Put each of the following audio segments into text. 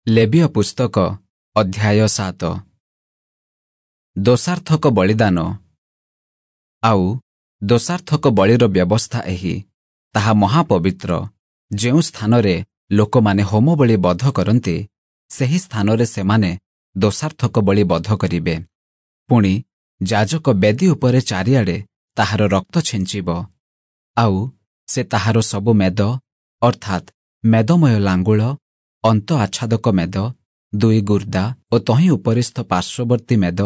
ଲେବୀୟ ପୁସ୍ତକ ଅଧ୍ୟାୟ 7। ଦୋଷାର୍ଥକ ବଳିଦାନ। ଆଉ ଦୋଷାର୍ଥକ ବଳିର ବ୍ୟବସ୍ଥା ଏହି, ତାହା ମହାପବିତ୍ର। ଯେଉଁ ସ୍ଥାନରେ ଲୋକମାନେ ହୋମବଳି ବଧ କରନ୍ତି, ସେହି ସ୍ଥାନରେ ସେମାନେ ଦୋଷାର୍ଥକ ବଳି ବଧ କରିବେ। ପୁଣି ଯାଜକ ବେଦୀ ଉପରେ ଚାରିଆଡ଼େ ତାହାର ରକ୍ତ ଛିଞ୍ଚିବ। ଆଉ ସେ ତାହାର ସବୁ ମେଦ, ଅର୍ଥାତ୍ ମେଦମୟ ଲାଙ୍ଗୁଳ, ଅନ୍ତ ଆଚ୍ଛାଦକ ମେଦ, ଦୁଇ ଗୁର୍ଦା ଓ ତହିଁ ଉପରିସ୍ଥ ପାର୍ଶ୍ୱବର୍ତ୍ତୀ ମେଦ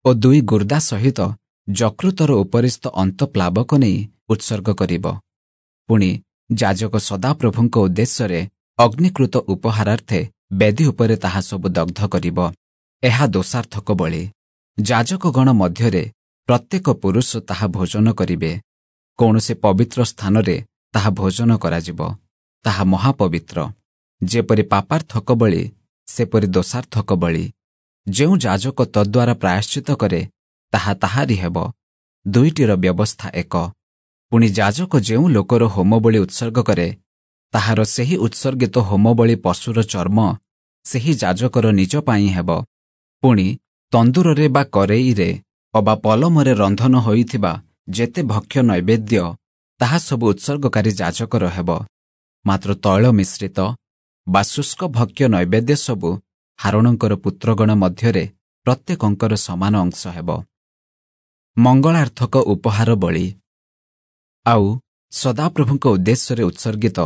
ଓ ଦୁଇ ଗୁର୍ଦା ସହିତ ଯକୃତର ଉପରିସ୍ଥ ଅନ୍ତଃପ୍ଲାବକ ନେଇ ଉତ୍ସର୍ଗ କରିବ। ପୁଣି ଯାଜକ ସଦାପ୍ରଭୁଙ୍କ ଉଦ୍ଦେଶ୍ୟରେ ଅଗ୍ନିକୃତ ଉପହାରାର୍ଥେ ବେଦୀ ଉପରେ ତାହା ସବୁ ଦଗ୍ଧ କରିବ। ଏହା ଦୋଷାର୍ଥକ ବଳି। ଯାଜକଗଣ ମଧ୍ୟରେ ପ୍ରତ୍ୟେକ ପୁରୁଷ ତାହା ଭୋଜନ କରିବେ। କୌଣସି ପବିତ୍ର ସ୍ଥାନରେ ତାହା ଭୋଜନ କରାଯିବ। ତାହା ମହାପବିତ୍ର। ଯେପରି ପାପାର୍ଥକ ବଳି, ସେପରି ଦୋଷାର୍ଥକ ବଳି। ଯେଉଁ ଯାଜକ ତଦ୍ୱାରା ପ୍ରାୟଶ୍ଚିତ କରେ, ତାହା ତାହାରି ହେବ। ଦୁଇଟିର ବ୍ୟବସ୍ଥା ଏକ। ପୁଣି ଯାଜକ ଯେଉଁ ଲୋକର ହୋମବଳି ଉତ୍ସର୍ଗ କରେ, ତାହାର ସେହି ଉତ୍ସର୍ଗିତ ହୋମବଳି ପଶୁର ଚର୍ମ ସେହି ଯାଜକର ନିଜ ପାଇଁ ହେବ। ପୁଣି ତନ୍ଦୁରରେ ବା କରେଇରେ ଅବା ପଲମରେ ରନ୍ଧନ ହୋଇଥିବା ଯେତେ ଭକ୍ଷ୍ୟ ନୈବେଦ୍ୟ, ତାହା ସବୁ ଉତ୍ସର୍ଗକାରୀ ଯାଜକର ହେବ। ମାତ୍ର ତୈଳ ମିଶ୍ରିତ ବା ଶୁଷ୍କ ଭକ୍ଷ୍ୟ ନୈବେଦ୍ୟ ସବୁ ହାରୋଣଙ୍କର ପୁତ୍ରଗଣ ମଧ୍ୟରେ ପ୍ରତ୍ୟେକଙ୍କର ସମାନ ଅଂଶ ହେବ। ମଙ୍ଗଳାର୍ଥକ ଉପହାର ବଳି। ଆଉ ସଦାପ୍ରଭୁଙ୍କ ଉଦ୍ଦେଶ୍ୟରେ ଉତ୍ସର୍ଗିତ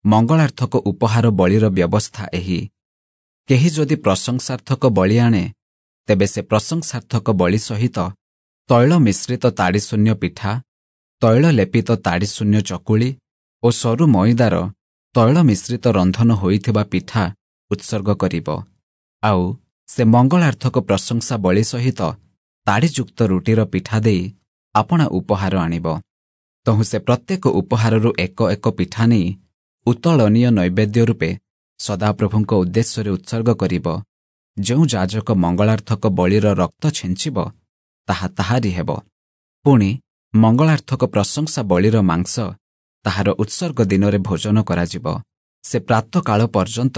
ମଙ୍ଗଳାର୍ଥକ ଉପହାର ବଳିର ବ୍ୟବସ୍ଥା ଏହି, କେହି ଯଦି ପ୍ରଶଂସାର୍ଥକ ବଳି ଆଣେ, ତେବେ ସେ ପ୍ରଶଂସାର୍ଥକ ବଳି ସହିତ ତୈଳ ମିଶ୍ରିତ ତାଡ଼ିଶୂନ୍ୟ ପିଠା, ତୈଳ ଲେପିତ ତାଡ଼ିଶୂନ୍ୟ ଚକୁଳି ଓ ସରୁ ମଇଦାର ତୈଳ ମିଶ୍ରିତ ରନ୍ଧନ ହୋଇଥିବା ପିଠା ଉତ୍ସର୍ଗ କରିବ। ଆଉ ସେ ମଙ୍ଗଳାର୍ଥକ ପ୍ରଶଂସା ବଳି ସହିତ ତାଡ଼ିଯୁକ୍ତ ରୁଟିର ପିଠା ଦେଇ ଆପଣା ଉପହାର ଆଣିବ। ତହୁଁ ସେ ପ୍ରତ୍ୟେକ ଉପହାରରୁ ଏକ ଏକ ପିଠା ନେଇ ଉତ୍ତୋଳନୀୟ ନୈବେଦ୍ୟ ରୂପେ ସଦାପ୍ରଭୁଙ୍କ ଉଦ୍ଦେଶ୍ୟରେ ଉତ୍ସର୍ଗ କରିବ। ଯେଉଁ ଯାଜକ ମଙ୍ଗଳାର୍ଥକ ବଳିର ରକ୍ତ ଛିଞ୍ଚିବ, ତାହା ତାହାରି ହେବ। ପୁଣି ମଙ୍ଗଳାର୍ଥକ ପ୍ରଶଂସା ବଳିର ମାଂସ ତାହାର ଉତ୍ସର୍ଗ ଦିନରେ ଭୋଜନ କରାଯିବ। ସେ ପ୍ରାତଃକାଳ ପର୍ଯ୍ୟନ୍ତ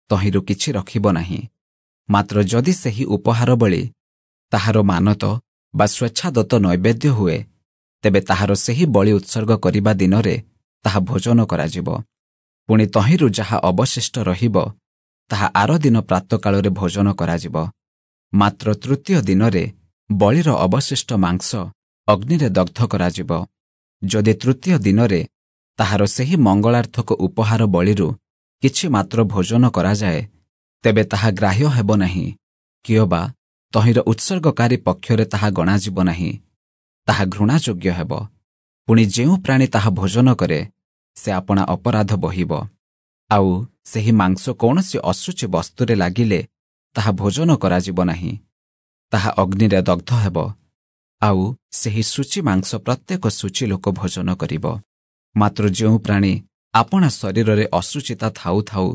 ତହିଁରୁ କିଛି ରଖିବ ନାହିଁ। ମାତ୍ର ଯଦି ସେହି ଉପହାର ବଳି ତାହାର ମାନତ ବା ସ୍ୱେଚ୍ଛାଦତ୍ତ ନୈବେଦ୍ୟ ହୁଏ, ତେବେ ତାହାର ସେହି ବଳି ଉତ୍ସର୍ଗ କରିବା ଦିନରେ ତାହା ଭୋଜନ କରାଯିବ। ପୁଣି ତହିଁରୁ ଯାହା ଅବଶିଷ୍ଟ ରହିବ, ତାହା ଆର ଦିନ ପ୍ରାତଃକାଳରେ ଭୋଜନ କରାଯିବ। ମାତ୍ର ତୃତୀୟ ଦିନରେ ବଳିର ଅବଶିଷ୍ଟ ମାଂସ ଅଗ୍ନିରେ ଦଗ୍ଧ କରାଯିବ। ଯଦି ତୃତୀୟ ଦିନରେ ତାହାର ସେହି ମଙ୍ଗଳାର୍ଥକ ଉପହାର ବଳିରୁ କିଛି ମାତ୍ର ଭୋଜନ କରାଯାଏ, ତେବେ ତାହା ଗ୍ରାହ୍ୟ ହେବ ନାହିଁ, କିଅବା ତହିଁର ଉତ୍ସର୍ଗକାରୀ ପକ୍ଷରେ ତାହା ଗଣାଯିବ ନାହିଁ। ତାହା ଘୃଣାଯୋଗ୍ୟ ହେବ। ପୁଣି ଯେଉଁ ପ୍ରାଣୀ ତାହା ଭୋଜନ କରେ, ସେ ଆପଣା ଅପରାଧ ବହିବ। ଆଉ ସେହି ମାଂସ କୌଣସି ଅଶୁଚି ବସ୍ତୁରେ ଲାଗିଲେ ତାହା ଭୋଜନ କରାଯିବ ନାହିଁ। ତାହା ଅଗ୍ନିରେ ଦଗ୍ଧ ହେବ। ଆଉ ସେହି ଶୁଚି ମାଂସ ପ୍ରତ୍ୟେକ ଶୁଚି ଲୋକ ଭୋଜନ କରିବ। ମାତ୍ର ଯେଉଁ ପ୍ରାଣୀ ଆପଣା ଶରୀରରେ ଅଶୁଚିତା ଥାଉ ଥାଉ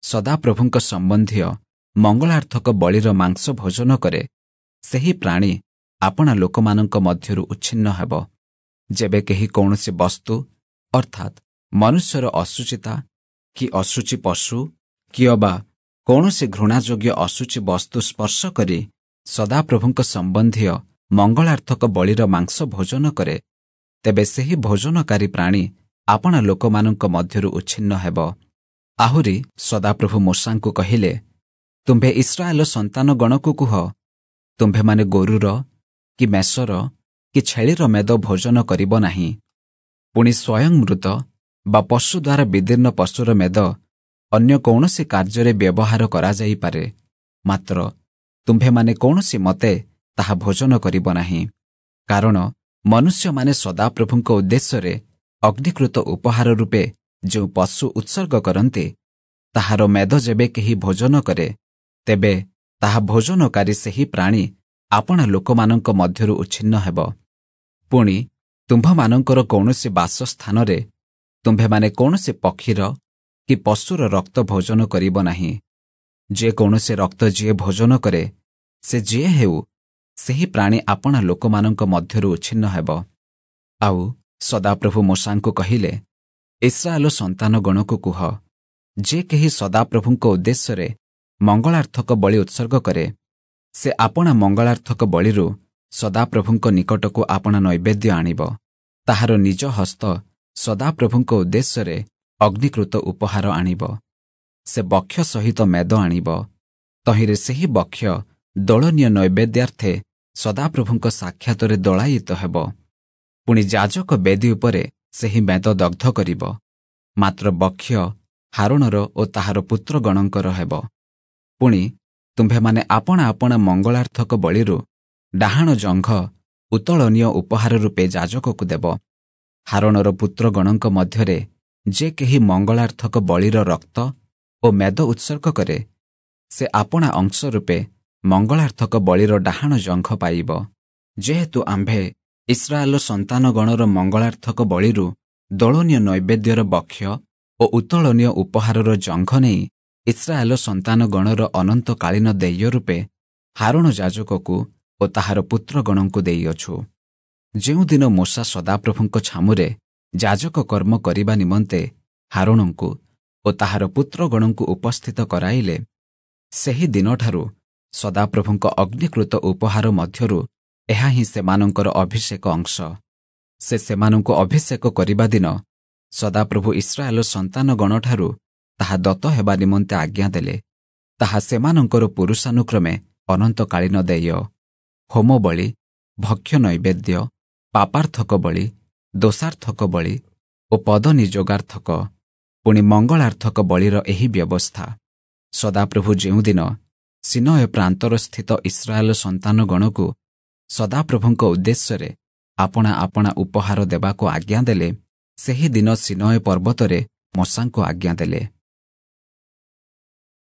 ସଦାପ୍ରଭୁଙ୍କ ସମ୍ବନ୍ଧୀୟ ମଙ୍ଗଳାର୍ଥକ ବଳିର ମାଂସ ଭୋଜନ କରେ, ସେହି ପ୍ରାଣୀ ଆପଣା ଲୋକମାନଙ୍କ ମଧ୍ୟରୁ ଉଚ୍ଛିନ୍ନ ହେବ। ଯେବେ କେହି କୌଣସି ବସ୍ତୁ, ଅର୍ଥାତ୍ ମନୁଷ୍ୟର ଅଶୁଚିତା କି ଅଶୁଚି ପଶୁ କି ଅବା କୌଣସି ଘୃଣାଯୋଗ୍ୟ ଅଶୁଚି ବସ୍ତୁ ସ୍ପର୍ଶ କରି ସଦାପ୍ରଭୁଙ୍କ ସମ୍ବନ୍ଧୀୟ ମଙ୍ଗଳାର୍ଥକ ବଳିର ମାଂସ ଭୋଜନ କରେ, ତେବେ ସେହି ଭୋଜନକାରୀ ପ୍ରାଣୀ ଆପଣା ଲୋକମାନଙ୍କ ମଧ୍ୟରୁ ଉଚ୍ଛିନ୍ନ ହେବ। ଆହୁରି ସଦାପ୍ରଭୁ ମୋଶାଙ୍କୁ କହିଲେ, ତୁମ୍ଭେ ଇସ୍ରାଏଲ ସନ୍ତାନଗଣକୁ କୁହ, ତୁମ୍ଭେମାନେ ଗୋରୁର କି ମେଷର କି ଛେଳିର ମେଦ ଭୋଜନ କରିବ ନାହିଁ। ପୁଣି ସ୍ୱୟଂ ମୃତ ବା ପଶୁ ଦ୍ୱାରା ବିଦୀର୍ଣ୍ଣ ପଶୁର ମେଦ ଅନ୍ୟ କୌଣସି କାର୍ଯ୍ୟରେ ବ୍ୟବହାର କରାଯାଇପାରେ, ମାତ୍ର ତୁମ୍ଭେମାନେ କୌଣସି ମତେ ତାହା ଭୋଜନ କରିବ ନାହିଁ। କାରଣ ମନୁଷ୍ୟମାନେ ସଦାପ୍ରଭୁଙ୍କ ଉଦ୍ଦେଶ୍ୟରେ ଅଗ୍ନିକୃତ ଉପହାର ରୂପେ ଯେଉଁ ପଶୁ ଉତ୍ସର୍ଗ କରନ୍ତି, ତାହାର ମେଦ ଯେବେ କେହି ଭୋଜନ କରେ, ତେବେ ତାହା ଭୋଜନକାରୀ ସେହି ପ୍ରାଣୀ ଆପଣା ଲୋକମାନଙ୍କ ମଧ୍ୟରୁ ଉଚ୍ଛିନ୍ନ ହେବ। ପୁଣି ତୁମ୍ଭମାନଙ୍କର କୌଣସି ବାସସ୍ଥାନରେ ତୁମ୍ଭେମାନେ କୌଣସି ପକ୍ଷୀର କି ପଶୁର ରକ୍ତ ଭୋଜନ କରିବ ନାହିଁ। ଯେ କୌଣସି ରକ୍ତ ଯିଏ ଭୋଜନ କରେ, ସେ ଯିଏ ହେଉ, ସେହି ପ୍ରାଣୀ ଆପଣା ଲୋକମାନଙ୍କ ମଧ୍ୟରୁ ଉଚ୍ଛିନ୍ନ ହେବ। ଆଉ ସଦାପ୍ରଭୁ ମୋଶାଙ୍କୁ କହିଲେ, ଇସ୍ରାଏଲ ସନ୍ତାନଗଣକୁ କୁହ, ଯେ କେହି ସଦାପ୍ରଭୁଙ୍କ ଉଦ୍ଦେଶ୍ୟରେ ମଙ୍ଗଳାର୍ଥକ ବଳି ଉତ୍ସର୍ଗ କରେ, ସେ ଆପଣା ମଙ୍ଗଳାର୍ଥକ ବଳିରୁ ସଦାପ୍ରଭୁଙ୍କ ନିକଟକୁ ଆପଣା ନୈବେଦ୍ୟ ଆଣିବ। ତାହାର ନିଜ ହସ୍ତ ସଦାପ୍ରଭୁଙ୍କ ଉଦ୍ଦେଶ୍ୟରେ ଅଗ୍ନିକୃତ ଉପହାର ଆଣିବ। ସେ ବକ୍ଷ ସହିତ ମେଦ ଆଣିବ। ତହିଁରେ ସେହି ବକ୍ଷ ଦୋଳନୀୟ ନୈବେଦ୍ୟାର୍ଥେ ସଦାପ୍ରଭୁଙ୍କ ସାକ୍ଷାତରେ ଦୋଳାୟିତ ହେବ। ପୁଣି ଯାଜକ ବେଦୀ ଉପରେ ସେହି ମେଦ ଦଗ୍ଧ କରିବ, ମାତ୍ର ବକ୍ଷ ହାରୋଣର ଓ ତାହାର ପୁତ୍ରଗଣଙ୍କର ହେବ। ପୁଣି ତୁମ୍ଭେମାନେ ଆପଣା ଆପଣା ମଙ୍ଗଳାର୍ଥକ ବଳିରୁ ଡାହାଣ ଜଙ୍ଘ ଉତ୍ତୋଳନୀୟ ଉପହାର ରୂପେ ଯାଜକକୁ ଦେବ। ହାରୋଣର ପୁତ୍ରଗଣଙ୍କ ମଧ୍ୟରେ ଯେ କେହି ମଙ୍ଗଳାର୍ଥକ ବଳିର ରକ୍ତ ଓ ମେଦ ଉତ୍ସର୍ଗ କରେ, ସେ ଆପଣା ଅଂଶ ରୂପେ ମଙ୍ଗଳାର୍ଥକ ବଳିର ଡାହାଣ ଜଙ୍ଘ ପାଇବ। ଯେହେତୁ ଆମ୍ଭେ ଇସ୍ରାଏଲ ସନ୍ତାନଗଣର ମଙ୍ଗଳାର୍ଥକ ବଳିରୁ ଦୋଳନୀୟ ନୈବେଦ୍ୟର ବକ୍ଷ ଓ ଉତ୍ତୋଳନୀୟ ଉପହାରର ଜଙ୍ଘ ନେଇ ଇସ୍ରାଏଲ ସନ୍ତାନଗଣର ଅନନ୍ତକାଳୀନ ଦେୟ ରୂପେ ହାରୋଣ ଯାଜକକୁ ଓ ତାହାର ପୁତ୍ରଗଣଙ୍କୁ ଦେଇଅଛୁ। ଯେଉଁଦିନ ମୋଶା ସଦାପ୍ରଭୁଙ୍କ ଛାମୁରେ ଯାଜକ କର୍ମ କରିବା ନିମନ୍ତେ ହାରୋଣଙ୍କୁ ଓ ତାହାର ପୁତ୍ରଗଣଙ୍କୁ ଉପସ୍ଥିତ କରାଇଲେ, ସେହି ଦିନଠାରୁ ସଦାପ୍ରଭୁଙ୍କ ଅଗ୍ନିକୃତ ଉପହାର ମଧ୍ୟରୁ ଏହା ହିଁ ସେମାନଙ୍କର ଅଭିଷେକ ଅଂଶ। ସେ ସେମାନଙ୍କୁ ଅଭିଷେକ କରିବା ଦିନ ସଦାପ୍ରଭୁ ଇସ୍ରାଏଲ ସନ୍ତାନଗଣଠାରୁ ତାହା ଦତ୍ତ ହେବା ନିମନ୍ତେ ଆଜ୍ଞା ଦେଲେ। ତାହା ସେମାନଙ୍କର ପୁରୁଷାନୁକ୍ରମେ ଅନନ୍ତକାଳୀନ ଦେୟ। ହୋମ ବଳି, ଭକ୍ଷ୍ୟ ନୈବେଦ୍ୟ, ପାପାର୍ଥକ ବଳି, ଦୋଷାର୍ଥକ ବଳି ଓ ପଦନିଯୋଗାର୍ଥକ, ପୁଣି ମଙ୍ଗଳାର୍ଥକ ବଳିର ଏହି ବ୍ୟବସ୍ଥା। ସଦାପ୍ରଭୁ ଯେଉଁଦିନ ସିନୟ ପ୍ରାନ୍ତରସ୍ଥିତ ଇସ୍ରାଏଲ ସନ୍ତାନଗଣକୁ ସଦାପ୍ରଭୁଙ୍କ ଉଦ୍ଦେଶ୍ୟରେ ଆପଣା ଆପଣା ଉପହାର ଦେବାକୁ ଆଜ୍ଞା ଦେଲେ, ସେହି ଦିନ ସିନୟ ପର୍ବତରେ ମୋଶାଙ୍କୁ ଆଜ୍ଞା ଦେଲେ।